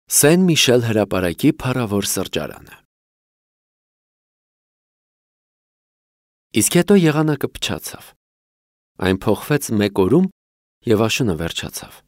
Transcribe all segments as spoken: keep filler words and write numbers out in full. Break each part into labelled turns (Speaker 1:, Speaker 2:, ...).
Speaker 1: Սեն Միշել հրապարակի փառավոր սրճարանը։ Իսկ հետո եղանակը փչացավ։ Այն փոխվեց մեկ օրում և աշունը վերջացավ։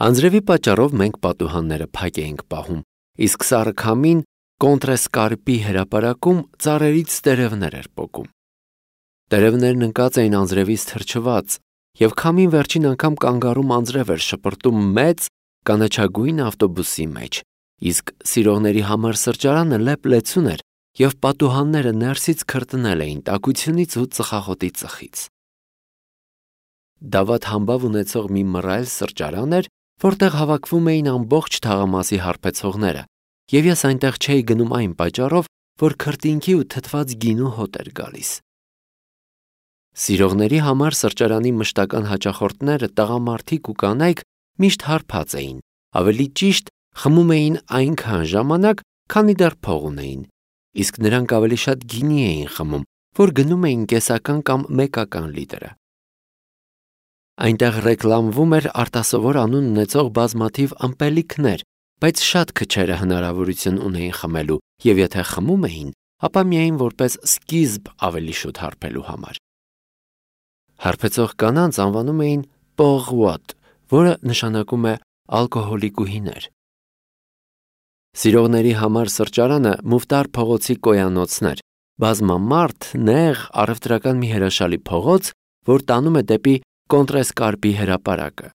Speaker 1: Անձրևի պատճառով մենք պատուհանները փակ էինք պահում, իսկ սառը քամին կոնտրեսկարպի հրապարակում ծառերից տերևներ էր պոկում։ Տերևներն ընկած էին անձրևից թրջված, և քամին վերջին անգամ կանգառում անձրև էր շպրտում մեծ կանաչագույն ավտոբուսի մեջ, իսկ սիրողների համար սրճարանը լեփ-լեցուն էր, և պատուհանները ներսից քրտնել էին տաքությունից ու ծխախոտի ծխից։ Դավադ համբավ ունեցող մի մռայլ սրճարան էր, որտեղ հավաքվում էին ամբողջ թաղամասի հարբեցողները, և ես այնտեղ չէի գնում այն պատճառով, որ քրտինքի ու թթված գինու հոտ էր գալիս։ Սիրողների համար սրճարանի մշտական հաճախորդները տղամարդիկ ու կանայք միշտ հարբած էին, ավելի ճիշտ խմում էին այնքան ժամանակ, քանի դեռ փող ունեին, իսկ նրանք ավելի շատ գինի էին խմում, որ գնում էին կեսական կամ մեկական լիտրը։ Այնտեղ ռեկլամվում էր արտասովոր անուն ունեցող բազմաթիվ ըմպելիքներ, բայց շատ քչերը հնարավորություն ունեին խմելու, և եթե խմում էին, ապա միայն որպես սկիզբ ավելի շուտ հարբելու համար։ Հարբեցող կանանց անվանում էին պողուատ, որը նշանակում է ալկոհոլիկուհիներ։ Սիրողների համար սրճարանը Մուֆտար փողոցի կոյանոցն էր, բազմամարդ, նեղ, առևտրական մի հրաշալի փողոց, որ տանում է դեպի կոնտրեսկարպի հրապարակը։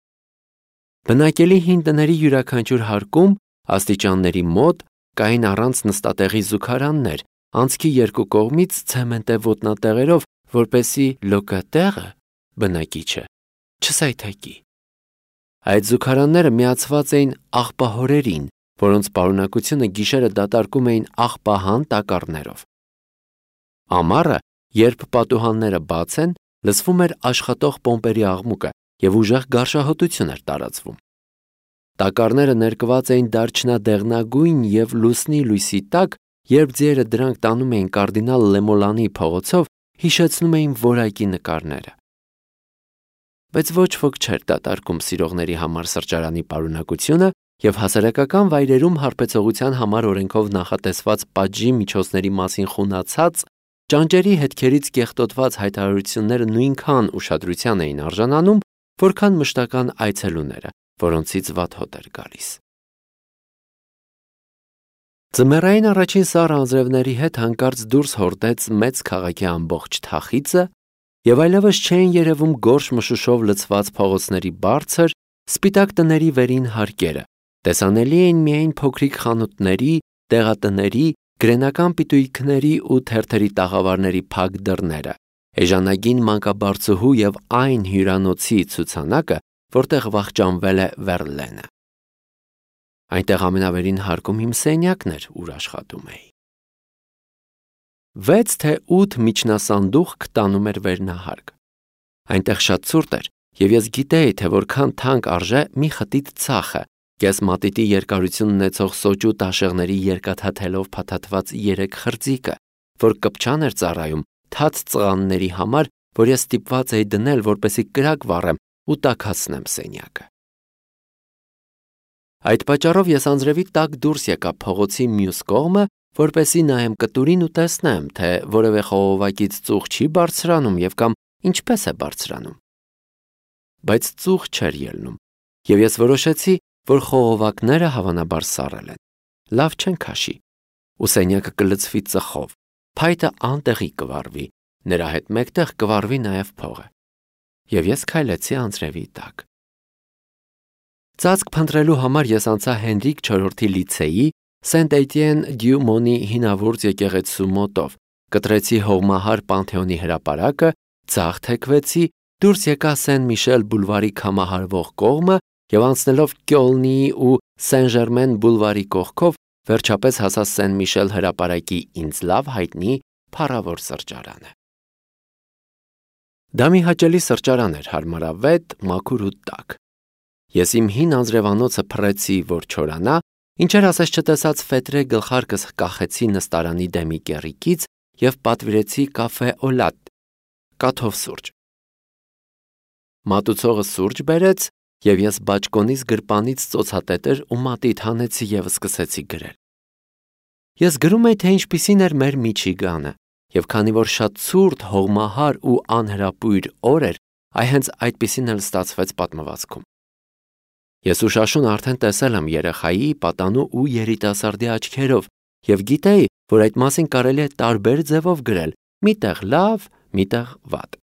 Speaker 1: Բնակելի հին տների յուրաքանչյուր հարկում, աստիճանների մոտ, կային առանց նստատեղի զուգարաններ, անցքի երկու կողմից ցեմենտե ոտնատեղերով, որպեսզի լոկատեղը բնակիչը չսայթաքի։ Այդ զուգարանները միացված էին աղբահորերին, որոնց պարունակությունը գիշերը դատարկում էին աղբահան տակառներով։ Ամառը, երբ պատուհանները բաց են, լսվում էր աշխատող պոմպերի աղմուկը և ուժեղ գարշահոտություն էր տարածվում։ Տակառները ներկված էին դարչնադեղնագույն և լուսնի լույսի տակ, երբ ձիերը դրանք տանում էին կարդինալ Լեմոլանի փողոցով, հիշեցնում էին որակի նկարները։ Բայց ոչ ոք չէր դատարկում սիրողների համար սրճարանի պարունակությունը, և հասարակական վայրերում հարբեցողության համար օրենքով նախատեսված պատժի միջոցների մասին խունացած, ճանճերի հետքերից կեղտոտված հայտարարությունները նույնքան ուշադրության էին արժանանում, որքան մշտական այցելուները, որոնցից վատ հոտ էր գալիս։ Ձմեռային առաջին սառը անձրևների հետ հանկարծ դուրս հորդեց մեծ քաղաքի ամբողջ թախիծը, և այլևս չէին երևում գորշ մշուշով լցված փողոցների բարձր, սպիտակ տների վերին հարկերը, տեսանելի էին միայն փոքրիկ խանութների, տեղատների, գրենական պիտույքների ու թերթերի տաղավարների փակ դռները, էժանագին մանկաբարձուհու և այն հյուրանոցի ցուցանակը, որտեղ վախճանվել է Վերլենը։ Այնտեղ ամենավերին հարկում իմ սենյակն էր, ուր աշխատում էի։ Վեց թե ութ միջնասանդուղք տանում էր վերնահարկ։ Այնտեղ շատ ցուրտ էր, և ես գիտեի, թե որքան թանկ արժե մի խտիտ ցախը, կես մատիտի երկարություն ունեցող սոճու տաշեղների երկաթաթելով փաթաթված երեք խրձիկը, որ կպչան էր ծառայում թաց ծղանների համար, որ ես ստիպված էի դնել, որպեսզի կրակ վառեմ ու տաքացնեմ սենյակը։ Այդ պատճառով ես անձրևի տակ դուրս եկա փողոցի մյուս կողմը, որպեսզի նայեմ կտուրին ու տեսնեմ, թե որևէ խողովակից ծուխ չի բարձրանում և կամ ինչպես է բարձրանում։ Բայց ծուխ չէր ելնում, և ես որոշեցի, որ խողովակները հավանաբար սառել են, լավ չեն քաշի, ու սենյակը կլցվի ծխով, փայտը անտեղի կվառվի, նրա հետ մեկտեղ կվառվի նաև փողը։ Եվ ես քայլեցի անձրևի տակ։ Ծածկ փնտրելու համար ես անցա Հենրիկ չորրորդի լիցեի Սենտ-Էտիեն-դյու-Մոնի հինավուրց եկեղեցու մոտով, կտրեցի հողմահար Պանթեոնի հրապարակը, ձախ թեքվեցի, դուրս եկա Սեն-Միշել բուլվարի քամահարվող կողմը և անցնելով Կյոլնիի ու Սեն-Ժերմեն բուլվարի կողքով, վերջապես հասա Սեն-Միշել հրապարակի ինձ լավ հայտնի փառավոր սրճարանը։ Դա մի հաճելի սրճարան էր, հարմարավետ, մաքուր ու տաք։ Ես իմ հին անձրևանոցը փռեցի, որ չորանա, ինչեր ասես չտեսած ֆետրե գլխարկս կախեցի նստարանի դեմի կեռիկից և պատվիրեցի կաֆե օլատ, կաթով սուրճ։ Մատուցողը սուրճ բերեց, եւ ես բաճկոնից գրպանից ծոցատետր ու մատիտ հանեցի եւ սկսեցի գրել։ Ես գրում էի, թե ինչպիսին էր մեր Միչիգանը, եւ քանի որ շատ ցուրտ, հողմահար ու անհրապույր օր էր, այ հենց այդպիսին էլ ստացվեց պատմվածքում։ Ես ուշաշուն արդեն տեսել եմ երեխայի, պատանու ու երիտասարդի աչքերով եւ գիտեի, որ այդ մասին կարելի է տարբեր ձևով գրել, միտեղ լավ, միտեղ վատ։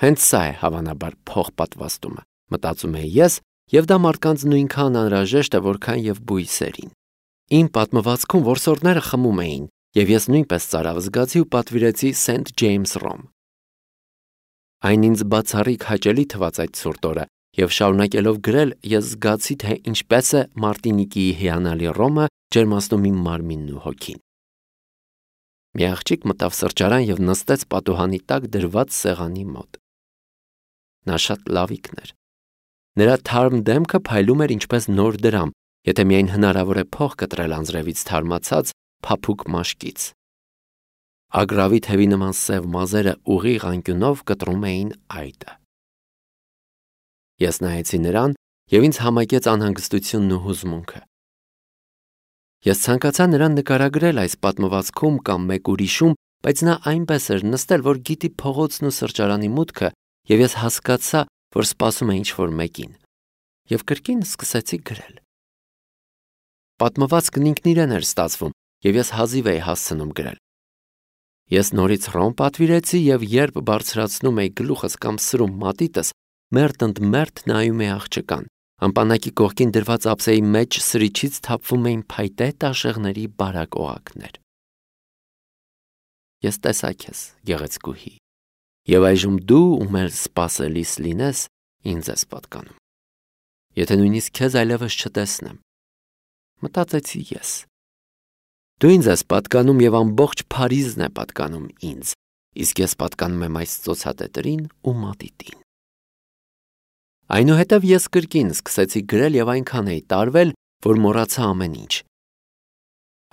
Speaker 1: Հենց սա է հավանաբար փոխպատվաստումը, մտածում էի ես, եւ դա մարդկանց նույնքան անհրաժեշտ է, որքան եւ բույսերին։ Իմ պատմվածքում որսորդները խմում էին, եւ ես նույնպես ծարավ զգացի ու պատվիրեցի Սենթ Ջեյմս Ռոմ։ Այն ինձ բացառիկ հաճելի թվաց այդ ցուրտ օրը, եւ շարունակելով գրել, ես զգացի, թե ինչպես է Մարտինիկիի հիանալի ռոմը ջերմացնում իմ մարմինն ու հոգին։ Մի աղջիկ մտավ սրճարան եւ նստեց պատուհանի տակ դրված սեղանի մոտ։ Նա շատ լավիկն էր։ Նրա թարմ դեմքը փայլում էր ինչպես նոր դրամ, եթե միայն հնարավոր է փող կտրել անձրևից թարմացած փափուկ մաշկից։ Ագրավի թևի նման սև մազերը ուղիղ անկյունով կտրում էին այտը։ Ես նայեցի նրան եւ ինձ համակեց անհանգստությունն ու հուզմունքը։ Ես ցանկացա նրան նկարագրել այս պատմվածքում կամ մեկ ուրիշում, բայց նա այնպես էր նստել, որ գիտի փողոցն ու սրճարանի մուտքը, եւ ես հասկացա, որ սպասում է ինչ-որ մեկին, եւ կրկին սկսեցի գրել։ Պատմվածքն ինքն իրեն էր ստացվում, եւ ես հազիվ էի հասցնում գրել։ Ես նորից ռոմ պատվիրեցի եւ երբ բարձրացնում էի գլուխս կամ սրում մատիտս, մերթ ընդ մերթ նայում էի աղջկան։ Ամպանակի կողքին դրված ափսեի մեջ սրիչից թափվում էին փայտե տաշեղների բարակ օղակներ։ Ես տեսա քեզ, գեղեցկուհի, եւ այժմ դու ում էլ սպասելիս լինես, ինձ ես պատկանում։ Եթե նույնիսկ քեզ այլևս չտեսնեմ, մտածեցի ես։ Դու ինձ ես պատկանում եւ ամբողջ Փարիզն է պատկանում ինձ, իսկ ես պատկանում եմ այս ծոցատետրին ու մատիտին։ Այնուհետև ես կրկին սկսեցի գրել եւ այնքան էի տարվել, որ մոռացա ամեն ինչ։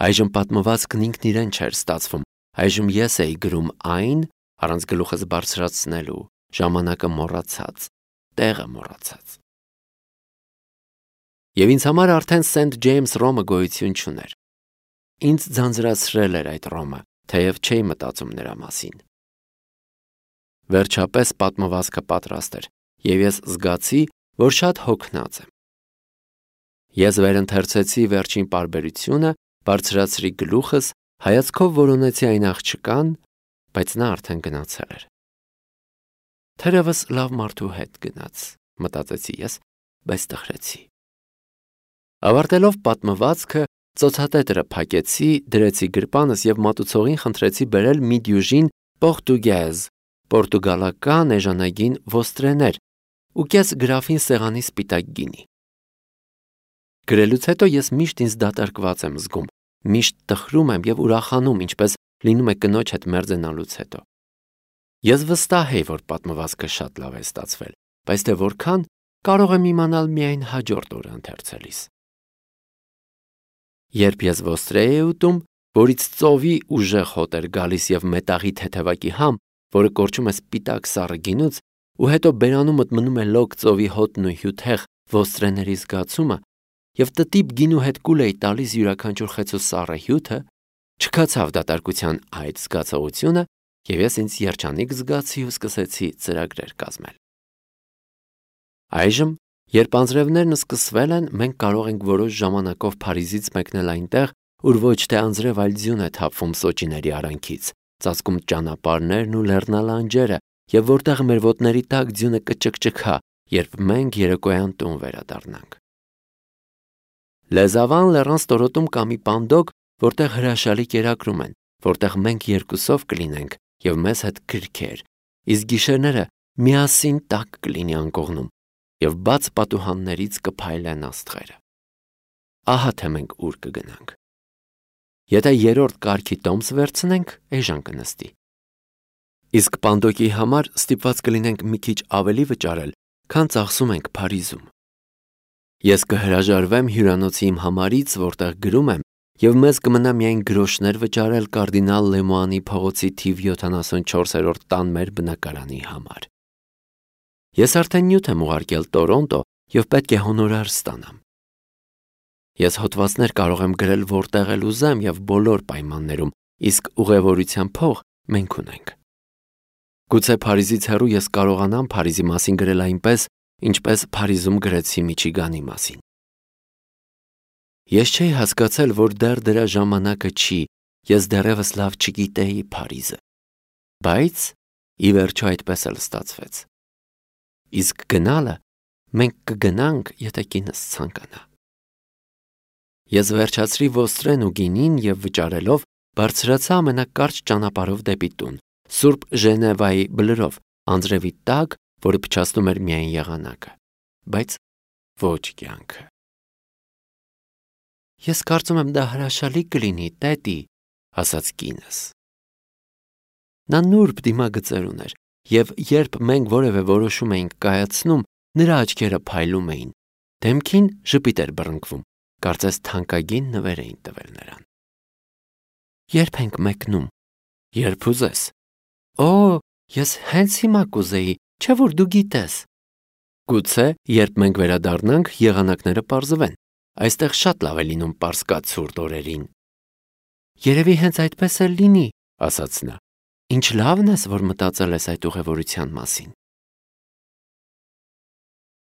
Speaker 1: Այժմ պատմվածքն ինքն իրեն չէր ստացվում, այժմ ես էի գրում այն, առանց գլուխս բարձրացնելու, ժամանակը մոռացած, տեղը մոռացած։ Եվ ինձ համար արդեն Սենթ Ջեյմս Ռոմը գոյություն չուներ։ Ինձ ձանձրացրել էր այդ Ռոմը, թեև չէի մտածում նրա մասին։ Վերջապես պատմվածքը պատրաստ էր, եւ ես զգացի, որ շատ հոգնած եմ։ Ես վերընթերցեցի վերջին պարբերությունը, բարձրացրի գլուխս, հայացքով որոնեցի այն աղջկան, բայց նա արդեն գնացել էր։ Թերևս լավ մարդու հետ գնաց, մտածեցի ես, բայց տխրեցի։ Ավարտելով պատմվածքը, ծոցատետրը փակեցի, դրեցի գրպանս եւ մատուցողին խնդրեցի բերել մի դյուժին պորտուգեզ, պորտուգալական էժանագին ոստրեներ ու կես գրաֆին սեղանի սպիտակ գինի։ Գրելուց հետո ես միշտ ինձ դատարկված եմ զգում, միշտ տխրում եմ եւ ուրախանում, ինչպես լինում է կնոջ հետ մերձենալուց հետո։ Ես վստահ եի, որ պատմվածքը շատ լավ է ստացվել, բայց թե որքան կարող եմ իմանալ միայն հաջորդ օրը ընթերցելիս։ Երբ ես ոստրե էի ուտում, որից ծովի ուժեղ հոտ էր գալիս եւ մետաղի թեթևակի համ, որը կորչում է սպիտակ սառը գինուց, ու հետո բերանումդ մնում է լոկ ծովի հոտն ու հյութեղ ոստրեների զգացումը, եւ տտիպ գինու հետ կուլ էի տալիս յուրաքանչյուր խեցու սառը հյութը, չքացավ դատարկության այդ զգացողությունը, եւ ես ինձ երջանիկ զգացի ու սկսեցի ծրագրեր կազմել։ Այժմ, երբ անձրևներն սկսվել են, մենք կարող ենք որոշ ժամանակով Փարիզից մեկնել այնտեղ, ուր ոչ թե անձրև, այլ ձյուն է թափվում սոճիների արանքից, ծածկում ճանապարհներն ու լեռնալանջերը, եւ որտեղ մեր ոտների տակ ձյունը կճկճքա, երբ մենք երեկոյան տուն վերադառնանք։ Լեզավան լեռան ստորոտում կա մի պանդոկ, որտեղ հրաշալի կերակրում են, որտեղ մենք երկուսով կլինենք եւ մեզ հետ գրքեր, իսկ գիշերները միասին տակ կլինի անկողնում եւ բաց պատուհաններից կփայլեն աստղերը։ Ահա թե մենք ուր կգնանք։ Եթե երրորդ կարգի տոմս վերցնենք, էժան կնստի։ Իսկ պանդոկի համար ստիպված կլինենք մի քիչ ավելի վճարել, քան ծախսում ենք Փարիզում։ Ես կհրաժարվեմ հյուրանոցի իմ համարից, որտեղ գրում եմ, եւ մեզ կմնա միայն գրոշներ վճարել կարդինալ Լեմուանի փողոցի թիվ յոթանասունչորսերորդ տան մեր բնակարանի համար։ Ես արդեն նյութ եմ ուղարկել Տորոնտո և պետք է հոնորար ստանամ։ Ես հոդվածներ կարող եմ գրել որտեղ էլ ուզեմ և բոլոր պայմաններում, իսկ ուղևորության փող մենք ունենք։ Գուցե Փարիզից հեռու ես կարողանամ Փարիզի մասին գրել այնպես, ինչպես Փարիզում գրեցի Միչիգանի մասին։ Ես չէի հասկացել, որ դեռ դրա ժամանակը չի, ես դեռևս լավ չգիտեի Փարիզը, բայց ի վերջո այդպես էլ ստացվեց։ Իսկ գնալը մենք կգնանք, եթե կինս ցանկանա։ Ես վերջացրի ոստրեն ու գինին և վճարելով բարձրացա ամենակարճ ճանապարհով դեպի տուն, Սուրբ Ժենևայի բլրով, անձրևի տակ, որը փչացնում էր միայն եղանակը, բայց ոչ կյանքը։ Ես կարծում եմ դա հրաշալի կլինի, տետի, ասաց կինս։ Նա նուրբ դիմագծեր ուներ, և երբ մենք որևէ որոշում էինք կայացնում, նրա աչքերը փայլում էին, դեմքին ժպիտ էր բռնկվում, կարծես թանկագին նվեր էին տվել նրան։ Երբ ենք մեկնում, երբ ուզես։ Օ, ես հենց հիմա կուզեի, չէ՞ որ դու գիտես։ Գուցե, երբ մենք վերադառնանք, եղանակները պարզվեն, այստեղ շատ լավ է լինում պարսկացուրտ օրերին։ Երևի հենց այդպես էլ լինի, ասաց նա։ Ինչ լավն ես, որ մտածել ես այդ ուղևորության մասին։